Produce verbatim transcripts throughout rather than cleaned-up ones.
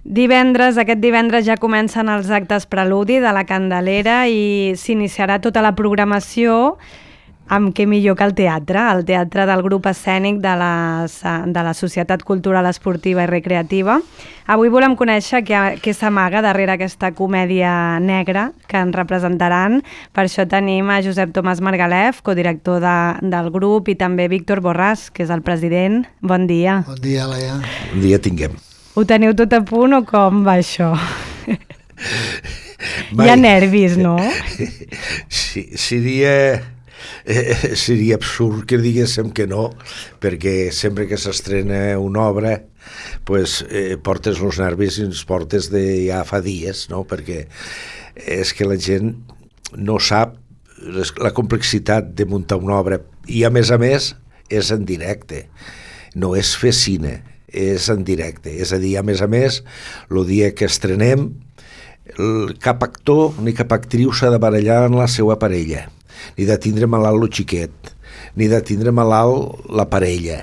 Divendres, aquest divendres ja comencen els actes preludi de la Candelera i s'iniciarà tota la programació amb què millor que el teatre, el teatre del grup escènic de, les, de la Societat Cultural Esportiva i Recreativa. Avui volem conèixer què, què s'amaga darrere aquesta comèdia negra que ens representaran. Per això tenim a Josep Tomàs Margalef, codirector de, del grup, i també Víctor Borràs, que és el president. Bon dia. Bon dia, Laia. Bon dia tinguem. Ho teniu tot a punt o com va això? Mai. Hi ha nervis, no? Sí, seria... Eh, seria absurd que diguéssim que no, perquè sempre que s'estrena una obra pues, eh, portes els nervis i els portes de ja fa dies, no? Perquè és que la gent no sap les, la complexitat de muntar una obra, i a més a més és en directe, no és fer cine, és en directe, és a dir, a més a més el dia que estrenem el, cap actor ni cap actriu s'ha de barallar en la seva parella, ni de tindre malalt el xiquet, ni de tindre malalt la parella.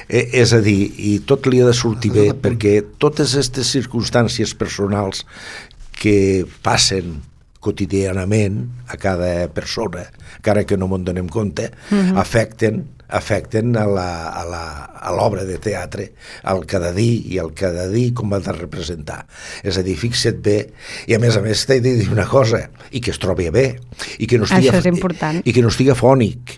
Eh, és a dir, i tot li ha de sortir bé, perquè totes aquestes circumstàncies personals que passen quotidianament a cada persona, encara que no me'n donem compte, uh-huh. afecten afecten a l'obra de teatre, al cada dia i al cada dia com ha de representar. És a dir, fixa't bé, i a més a més t'he de dir una cosa, i que es trobi bé, i que no estiga, això és important. I que no estiga fònic,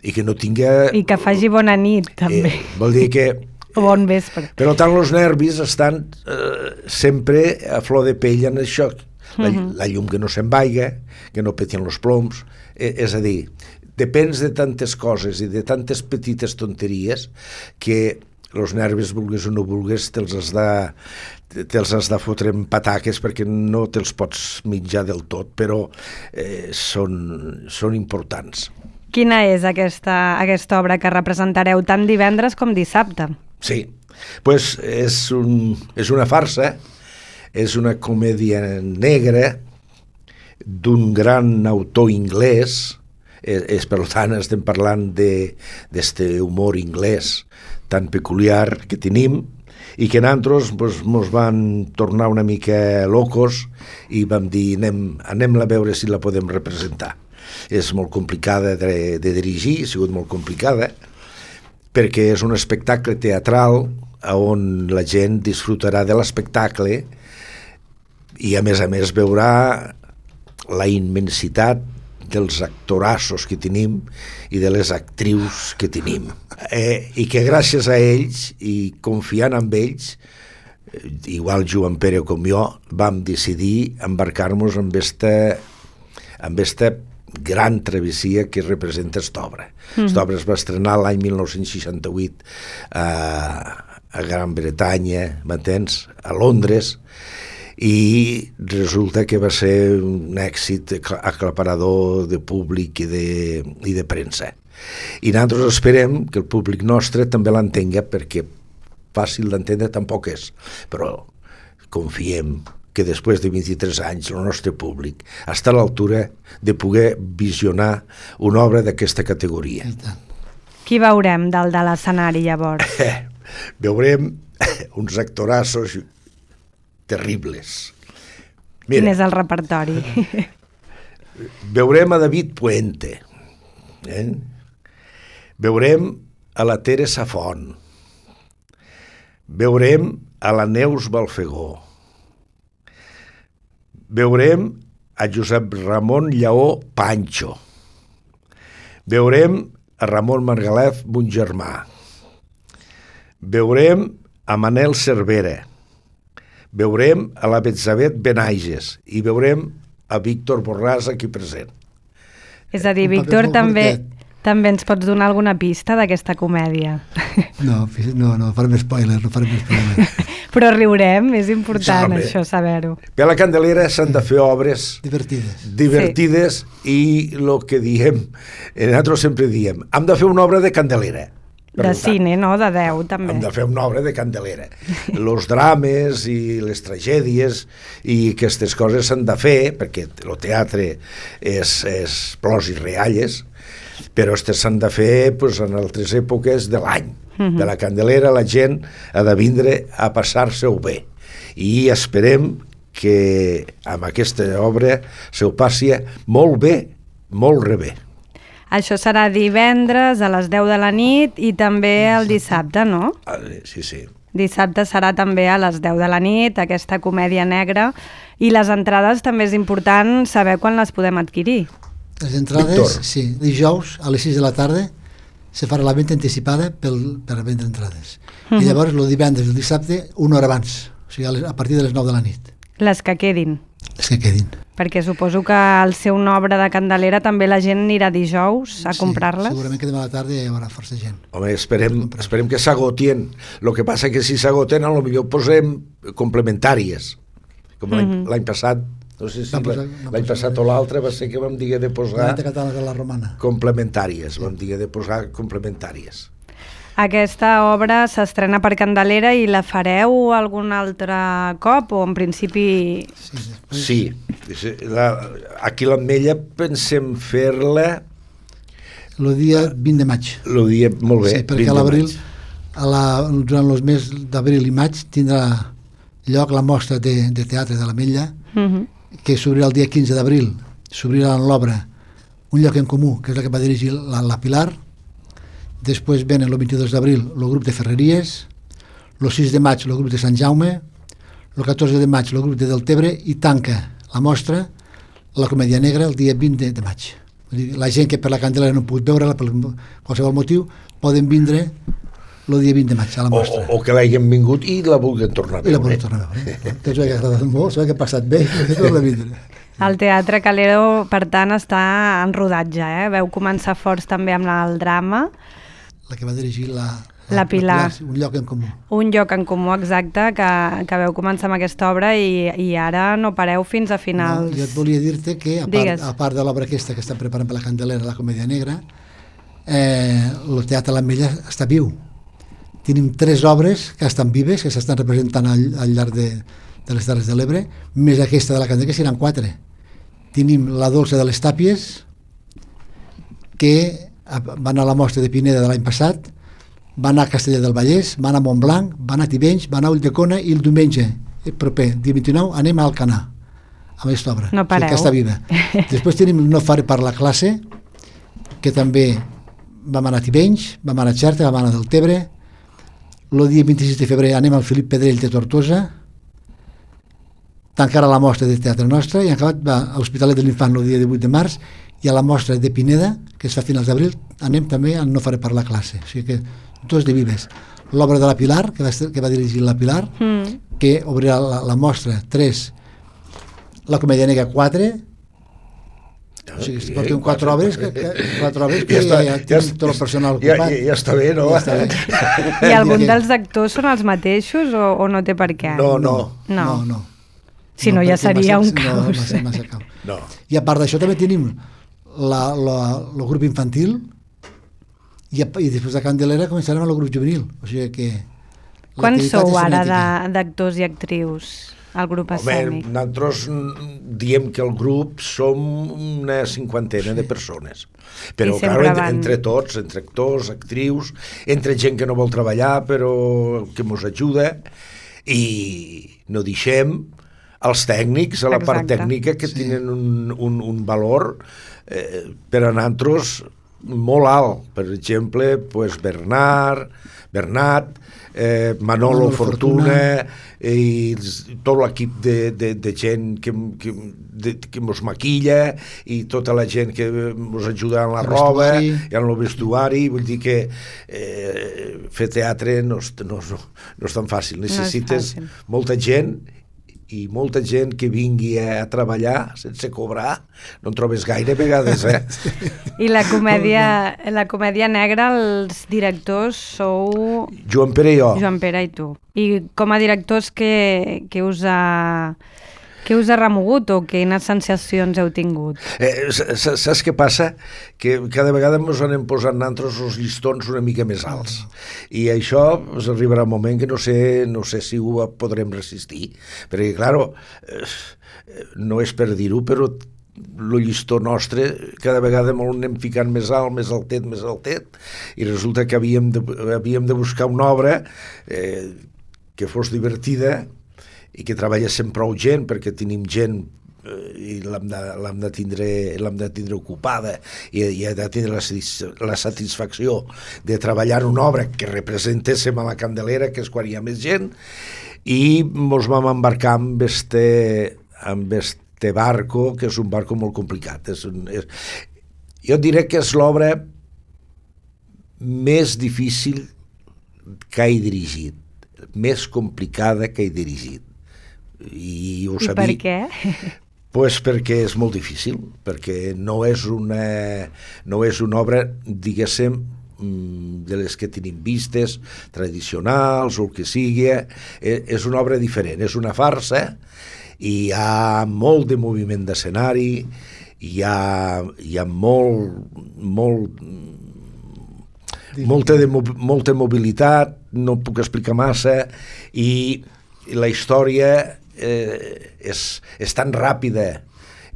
i que no tinga... I que faci bona nit, també. Eh, vol dir que... O bon vespre. Per tant, els nervis estan eh, sempre a flor de pell en això. La, uh-huh. la llum que no se'n vaiga, que no petien els ploms, eh, és a dir, depèn de tantes coses i de tantes petites tonteries que els nervis, vulguis o no vulguis, te'ls has de, te'ls has de fotre en pataques perquè no te'ls pots mitjar del tot, però eh, són, són importants. Quina és aquesta, aquesta obra que representareu tant divendres com dissabte? Sí, pues és, un, és una farsa, és una comèdia negra d'un gran autor inglès. És, és per tant estem parlant d'aquest humor inglès tan peculiar que tenim i que nosaltres pues, mos van tornar una mica locos i vam dir anem, anem-la a veure si la podem representar. És molt complicada de, de dirigir, ha sigut molt complicada, perquè és un espectacle teatral on la gent disfrutarà de l'espectacle i a més a més veurà la immensitat dels actorassos que tenim i de les actrius que tenim. Eh, I que gràcies a ells i confiant en ells, igual Joan Pere com jo, vam decidir embarcar-nos en aquesta, en aquesta gran travessia que representa aquesta obra. Mm. Aquesta obra es va estrenar l'any mil nou-cents seixanta-vuit a, a Gran Bretanya, m'entens? A Londres, i resulta que va ser un èxit aclaparador de públic i de, i de premsa. I nosaltres esperem que el públic nostre també l'entenga, perquè fàcil d'entendre tampoc és, però confiem que després de vint-i-tres anys el nostre públic està a l'altura de poder visionar una obra d'aquesta categoria. Qui veurem dalt de l'escenari llavors? Eh, veurem uns actorassos terribles. Mira, quin és el repertori? Veurem a David Puente, eh? Veurem a la Teresa Font, veurem a la Neus Balfegó, veurem a Josep Ramon Lleó Pancho, veurem a Ramon Margalef, mon germà, veurem a Manel Cervera, veurem a la Betsabet Benaiges i veurem a Víctor Borràs aquí present. És a dir, Víctor, també, també ens pots donar alguna pista d'aquesta comèdia? No, no, no farem spoilers, no farem spoilers. Però riurem, és important sí, això, saber-ho. Per la Candelera s'han de fer obres divertides, divertides sí. I el que diem, nosaltres sempre diem, hem de fer una obra de Candelera. De tant, cine, no? De Déu, també. Hem de fer una obra de Candelera. Els drames i les tragèdies i aquestes coses s'han de fer, perquè el teatre és, és plors i rialles, però aquestes s'han de fer pues, en altres èpoques de l'any. Uh-huh. De la Candelera la gent ha de vindre a passar-se-ho bé. i esperem que amb aquesta obra se ho passi molt bé, molt re bé. Això serà divendres a les deu de la nit i també el dissabte, no? Sí, sí. Dissabte serà també a les deu de la nit, aquesta comèdia negra. I les entrades també és important saber quan les podem adquirir. Les entrades, Víctor. Sí, dijous a les sis de la tarda se farà la venda anticipada pel, per vendre entrades. Uh -huh. I llavors el divendres i el dissabte una hora abans, o sigui a partir de les nou de la nit. Les que quedin. Les que quedin. Perquè suposo que al ser una obra de Candelera també la gent anirà dijous a sí, comprar-les. Segurament que demà a la tarda hi haurà força gent. Home, esperem, esperem que s'agotien. El que passa que si s'agoten, potser posem complementàries. Com l'any mm -hmm. passat, no sé si no posar, no l'any passat o l'altre va ser que vam dir de posar de la romana. complementàries, sí. Vam dir de posar complementàries. Aquesta obra s'estrena per Candelera i la fareu algun altre cop o en principi... Sí, sí la, aquí a l'Ametlla pensem fer-la... El dia vint de maig. El dia, molt bé. Sí, perquè a l'abril, durant els mesos d'abril i maig, tindrà lloc la mostra de, de teatre de l'Ametlla, uh -huh. que s'obrirà el dia quinze d'abril. S'obrirà en l'obra Un lloc en comú, que és la que va dirigir la, la Pilar. Després venen el vint-i-dos d'abril el grup de Ferreries, el sis de maig el grup de Sant Jaume, el catorze de maig el grup de Deltebre i tanca la mostra la comèdia negra el dia vint de, de maig. Vull dir, la gent que per la Candelera no ha pogut veure-la per qualsevol motiu poden vindre el dia vint de maig a la mostra. O, o que l'hagin vingut i la vulguin tornar a veure. I la vulguin tornar a veure. Que s'ho ha agradat molt, s'ho ha passat bé, que torna a vindre. El Teatre Calero, per tant, està en rodatge, eh? Veu començar forts també amb el drama. La que va dirigir la, la, la Pilar. La Pilar. Un lloc en comú. Un lloc en comú, exacte, que, que veu començar amb aquesta obra i, i ara no pareu fins a finals. No, jo et volia dir-te que, a part, a part de l'obra aquesta que estan preparant per la Candelera, la comèdia negra, eh, el Teatre l'Ametlla està viu. Tenim tres obres que estan vives, que s'estan representant al, al llarg de, de les Terres de l'Ebre, més aquesta de la Candelera, que seran quatre. Tenim la Dolça de les Tàpies, que va anar a la mostra de Pineda de l'any passat, va anar a Castellar del Vallès, va anar a Montblanc, va anar a Tivenys, va anar a Ulldecona i el diumenge, el proper, dia vint-i-nou, anem a Alcanar, amb aquesta obra. No pareu. O sigui, que està viva. Després tenim No faré per la classe, que també vam anar a Tivenys, vam anar a Xerta, vam anar a Deltebre. El dia vint-i-sis de febrer anem al Felip Pedrell de Tortosa, tancarà la mostra de teatre nostra i en acabat va a l'Hospitalet de l'Infant el dia divuit de març i a la mostra de Pineda, que es fa a finals d'abril, anem també a No faré per la classe. O sigui que dos de vives. L'obra de la Pilar, que va, que va dirigir la Pilar, mm. que obrirà la, la mostra tres, la comèdia negra quatre, o sigui, si portem quatre obres, que, que, quatre obres que ja, està, ja, ja tenim tot el personal ocupat. Ja, ja, ja està bé, no? Ja està bé. I algun dels actors són els mateixos o, o no té per què? No, no. No, no. no. Si no, no ja seria massa, un caos. No, massa, massa caos. No. I a part d'això també tenim la, la, el grup infantil i, i després de Candelera començarem el grup juvenil. O sigui que... Quants sou ara d'actors i actrius al grup escènic? Home, nosaltres diem que el grup som una cinquantena sí. de persones. Però, clar, entre, van... entre tots, entre actors, actrius, entre gent que no vol treballar però que ens ajuda, i no deixem els tècnics, a la Exacte. part tècnica, que sí. tenen un, un, un valor eh, per a nosaltres molt alt. Per exemple, pues Bernard, Bernat, eh, Manolo, Manolo Fortuna, Fortuna i tot l'equip de, de, de gent que, que, de, que mos maquilla i tota la gent que mos ajuda en la el roba i en el vestuari. Vull dir que eh, fer teatre no és, no, no, no és tan fàcil. Necessites no fàcil. molta gent i molta gent que vingui a treballar sense cobrar, no en trobes gaire vegades, eh? I la comèdia, la comèdia negra, els directors sou... Joan Pere i jo. Joan Pere i tu. I com a directors, què, què us ha... Què us ha remogut o quines sensacions heu tingut? Eh, saps què passa? Que cada vegada ens anem posant nosaltres els llistons una mica més alts. I això pues, arribarà un moment que no sé, no sé si ho podrem resistir. Perquè, clar, eh, no és per dir-ho, però el llistó nostre cada vegada molt anem ficant més alt, més altet, més altet, i resulta que havíem de, havíem de buscar una obra eh, que fos divertida i que treballéssim prou gent, perquè tenim gent i l'hem de, l'hem de, tindre, l'hem de tindre ocupada i, i ha de tindre la, la satisfacció de treballar en una obra que representéssim a la Candelera, que és quan hi ha més gent, i ens vam embarcar amb este, amb este barco, que és un barco molt complicat. És un, és, jo diré que és l'obra més difícil que he dirigit, més complicada que he dirigit. I, ho I sabia. per què? Pues perquè és molt difícil, perquè no és una, no és una obra, diguéssim, de les que tenim vistes, tradicionals o el que sigui, és una obra diferent, és una farsa, i hi ha molt de moviment d'escenari, hi ha, hi ha molt, molt, molta, de, molta mobilitat, no puc explicar massa, i la història eh, és, és tan ràpida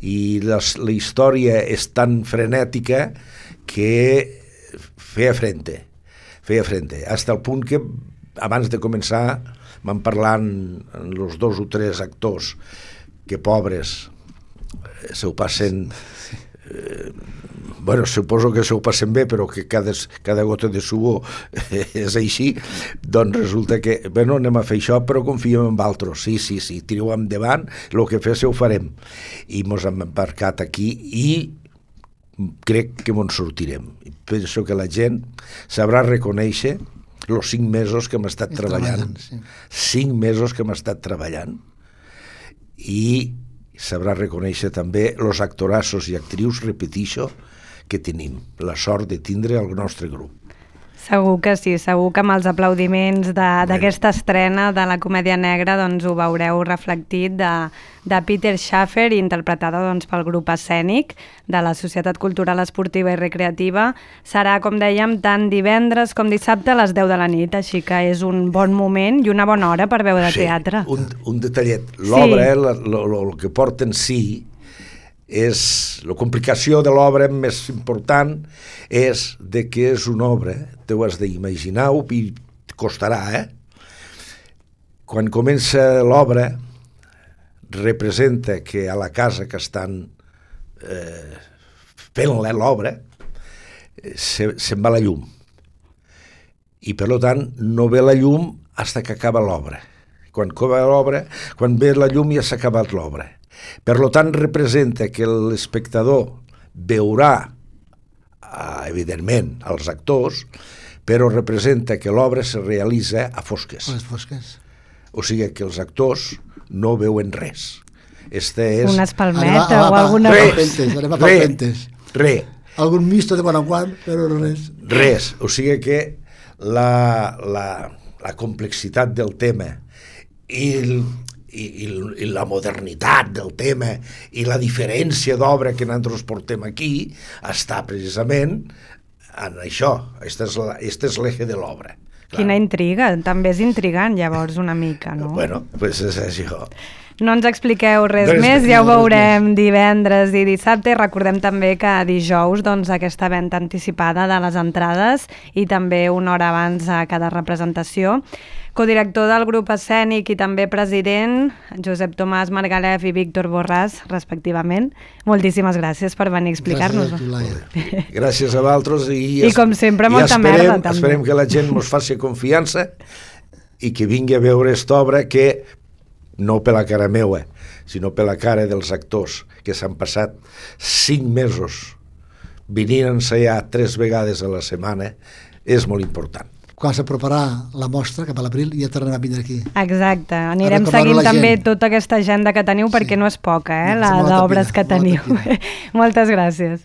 i les, la història és tan frenètica que feia frente, feia frente, fins al punt que abans de començar van parlant els dos o tres actors que pobres se ho passen eh, bueno, suposo que se ho passen bé, però que cada, cada gota de suor és així, doncs resulta que, bueno, anem a fer això, però confiem en altres. Sí, sí, sí, tireu endavant, el que fes ho farem. I mos hem embarcat aquí i crec que mos sortirem. I penso que la gent sabrà reconèixer els cinc mesos que hem estat Estan treballant. treballant, sí. Cinc mesos que hem estat treballant. I sabrà reconèixer també els actorassos i actrius, repetixo, que tenim, la sort de tindre el nostre grup. Segur que sí, segur que amb els aplaudiments d'aquesta estrena de la comèdia negra doncs ho veureu reflectit de, de Peter Schaffer, interpretada doncs, pel grup escènic de la Societat Cultural Esportiva i Recreativa. Serà, com dèiem, tant divendres com dissabte a les deu de la nit, així que és un bon moment i una bona hora per veure sí, teatre. Un, un detallet, l'obra, sí. el que porta en si, és la complicació de l'obra més important és de que és una obra, t'ho has d'imaginar i costarà, eh? Quan comença l'obra representa que a la casa que estan eh, fent l'obra se, se'n va la llum i per tant no ve la llum fins que acaba l'obra. Quan acaba l'obra, quan ve la llum ja s'ha acabat l'obra. Per tant, representa que l'espectador veurà, eh, evidentment, els actors, però representa que l'obra se realitza a fosques. A les fosques. O sigui que els actors no veuen res. Este és... Una espalmeta Anem a- o a- alguna Res. cosa. Palpentes, anem a Re, palpentes. re, Algun misto de quan en quan, però res. res. O sigui que la, la, la complexitat del tema i el, I, i, i la modernitat del tema i la diferència d'obra que nosaltres portem aquí està precisament en això. Este és, la, este és l'eje de l'obra. Quina intriga, també és intrigant llavors una mica, no? Bueno, pues és això. No ens expliqueu res Res més, més, ja ho res veurem divendres i dissabte. I recordem també que dijous doncs, aquesta venda anticipada de les entrades i també una hora abans a cada representació. Codirector del grup escènic i també president, Josep Tomàs Margalef i Víctor Borràs, respectivament. Moltíssimes gràcies per venir a explicar-nos. Gràcies a tu, Laia. Gràcies a vosaltres i, I com sempre, i molta esperem, merda, també. esperem que la gent ens faci confiança i que vingui a veure aquesta obra que no per la cara meua, sinó per la cara dels actors que s'han passat cinc mesos venint a ensaiar tres vegades a la setmana, és molt important. Quan s'aproparà la mostra, cap a l'abril, ja tornem a vindre aquí. Exacte, anirem recordar-ho seguint a la també gent. tota aquesta agenda que teniu perquè Sí. no és poca, eh, No, la és molta d'obres pila, que molta teniu. pila. Moltes gràcies.